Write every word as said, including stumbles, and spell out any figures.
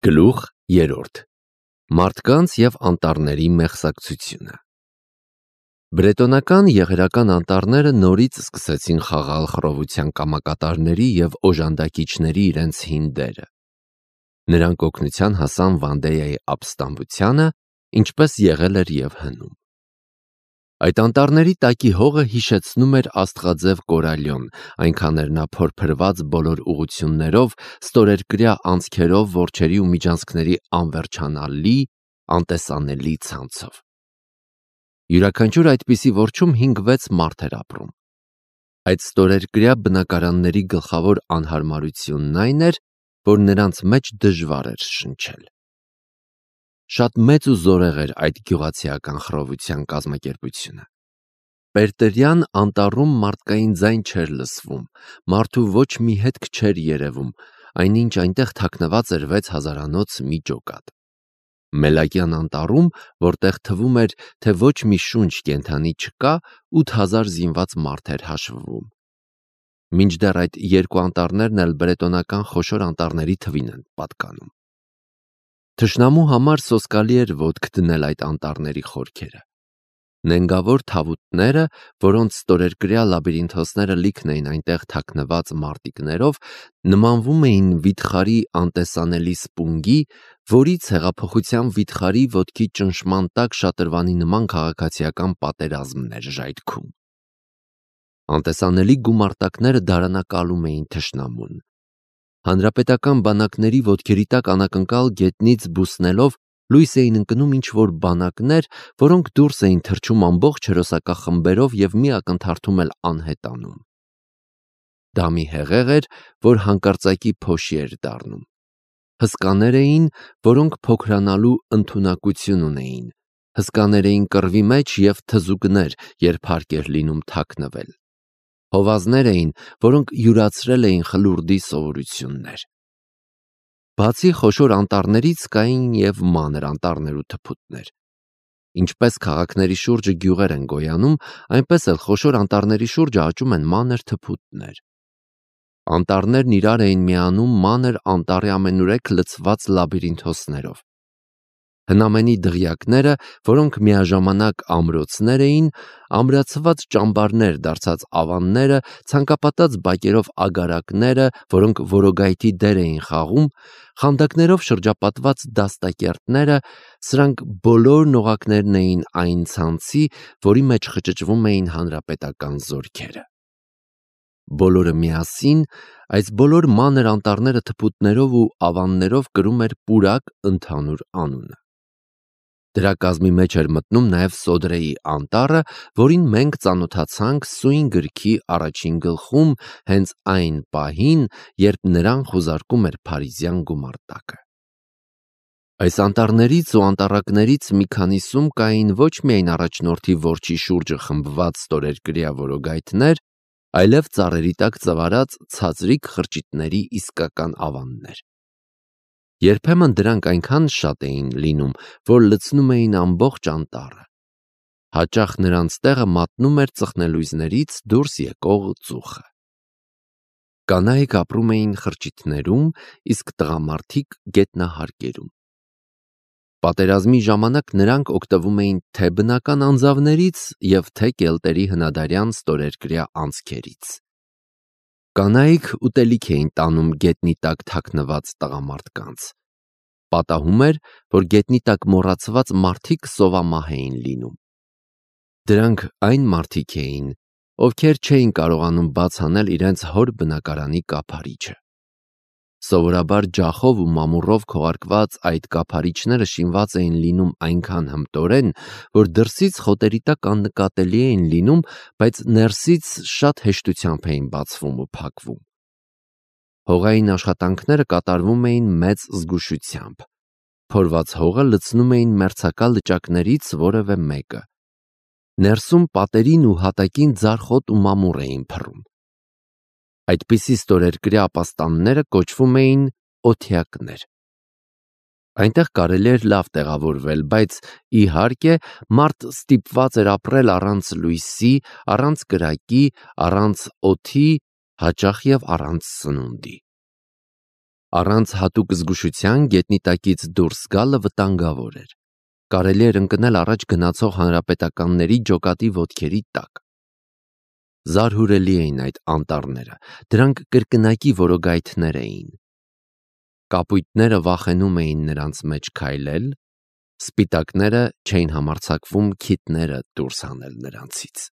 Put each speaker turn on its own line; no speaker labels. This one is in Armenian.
Գլուխ երրորդ. Մարդկանց և անտառների մեղսակցությունը։ Բրետոնական եղերական անտառները նորից սկսեցին խաղալ խռովության կամակատարների և օժանդակիչների իրենց հին դերը։ Նրանք օգնության հասան Վանդեյայի ապստամբությանը, ինչպես եղել էր և հնում։ Այդ անտառների տակի հողը հիշեցնում էր աստղաձև կորալյոն, այնքան էր նա փորփրված բոլոր ուղղություններով, ստորերկրյա անցքերով, որջերի ու միջանցքների անվերջանալի, անտեսանելի ցանցով։ Յուրաքանչյուր այդպիսի որջում հինգ-վեց մարդ էր ապրում։ Այդ ստորերկրյա բնակարանների գլխավոր անհարմարությունն այն էր, որ նրանց մեջ դժվար էր շնչել։ Շատ մեծ ու զորեղ էր այդ գյուղացիական խռովության կազմակերպությունը։ Պերտերյան անտառում մարդկային ձայն չէր լսվում, մարդու ոչ մի հետք չէր երևում, այնինչ այնտեղ թաքնված էր վեց հազարանոց մի ջոկատ։ Մելակյան անտառում, որտեղ թվում էր, թե ոչ մի շունչ կենդանի չկա, ութ հազար զինված մարդ էր հաշվվում։ Մինչդեռ այդ երկու անտառներն էլ բրետոնական խոշոր անտառների թվին են պատկանում։ Թշնամու համար սոսկալի էր ոտք դնել այդ անտառների խորքերը։ Նենգավոր թավուտները, որոնց ստորերկրյա լաբիրինթոսները լիքն էին այնտեղ թաքնված մարտիկներով, նմանվում էին վիթխարի անտեսանելի սպունգի, որից հեղափոխության վիթխարի ոտքի ճնշման տակ շատրվանի նման քաղաքացիական պատերազմն էր ժայթքում։ Անտեսանելի գումարտակները դարանակալում էին թշնամուն։ Հանրապետական բանակների ոտքերի տակ անակնկալ գետնից բուսնելով լույս էին ընկնում ինչ-որ բանակներ, որոնք դուրս էին թռչում ամբողջ հերոսակախմբերով և մի ակնթարթում էլ անհետանում։ Դա մի հեղեղ էր, որ հանկարծակի փոշի էր դառնում։ Հսկաներ էին, որոնք փոքրանալու ընդունակություն ունեին, հսկաներ էին կռվի մեջ և թզուկներ, երբ հարկ էր լինում թաքնվել։ Հովազներ էին, որոնք յուրացրել էին խլուրդի սովորություններ։ Բացի խոշոր անտառներից կային և մանր անտառներ ու թփուտներ։ Ինչպես քաղաքների շուրջը գյուղեր են գոյանում, այնպես էլ խոշոր անտառների շուրջը աճում են մանր թփուտներ։ Անտառներն իրար էին միանում մանր անտառի ամենուրեք լցված լաբիրինթոսներով։ Հնամենի դղյակները, որոնք միաժամանակ ամրոցներ էին, ամրացված ճամբարներ դարձած ավանները, ցանկապատած բակերով ագարակները, որոնք որոգայթի դեր էին խաղում, խանդակներով շրջապատված դաստակերտները, սրանք բոլորն օղակներն էին այն ցանցի, որի մեջ խճճվում էին հանրապետական զորքերը։ Բոլորը միասին, այս բոլոր մանր անտառները թփուտներով ու ավաններով կրում էր պուրակ ընդհանուր անունը։ Դրա կազմի մեջ էր մտնում նաև Սոդրեի անտառը, որին մենք ծանոթացանք սույն գրքի առաջին գլխում, հենց այն պահին, երբ նրան խուզարկում էր փարիզյան գումարտակը։ Այս անտառներից ու անտառակներից մի քանիսում կային ոչ միայն առաջնորդի որջի շուրջը խմբված ստորերկրյա որոգայթներ, այլև ծառերի տակ ծվարած ցածրիկ խրճիթների իսկական ավաններ։ Երբեմն դրանք այնքան շատ էին լինում, որ լցնում էին ամբողջ անտառը։ Հաճախ նրանց տեղը մատնում էր ծխնելույզներից դուրս եկող ծուխը։ Կանայք ապրում էին խրճիթներում, իսկ տղամարդիկ գետնահարկերում։ Պատերազմի ժամանակ նրանք օգտվում էին թե բնական անձավներից և թե կելտերի հնադարյան ստորերկրյա անցքերից։ Կանայք ուտելիք էին տանում գետնի տակ թաքնված տղամարդկանց։ Պատահում էր, որ գետնի տակ մոռացված մարդիկ սովամահ էին լինում։ Դրանք այն մարդիկ էին, ովքեր չէին կարողանում բաց անել իրենց հոր բնակարանի կափարիչը։ Սովորաբար ջախով ու մամուռով քողարկված այդ կափարիչները շինված էին լինում այնքան հմտորեն, որ դրսից խոտերի տակ աննկատելի էին լինում, բայց ներսից շատ հեշտությամբ էին բացվում ու փակվում։ Հողային աշխատանքները կատարվում էին մեծ զգուշությամբ։ Փորված հողը լցնում էին մերձակա լճակներից որևէ մեկը։ Ներսում պատերին ու հատակին ձարխոտ ու մամուռ էին փռում։ Այդպիսի ստորերկրյա ապաստանները կոչվում էին օթյակներ։ Այնտեղ կարելի էր լավ տեղավորվել, բայց, իհարկե, մարդ ստիպված էր ապրել առանց լույսի, առանց կրակի, առանց օդի, հաճախ և առանց սնունդի։ Առանց հատուկ զգուշության գետնի տակից դուրս գալը վտանգավոր էր։ Կարելի էր ընկնել առաջ գնացող հանրապետականների ջոկատի ոտքերի տակ։ Զարհուրելի էին այդ անտառները, դրանք կրկնակի որոգայթներ էին։ Կապույտները վախենում էին նրանց մեջ քայլել, սպիտակները չէին համարձակվում քիթները դուրս հանել նրանցից։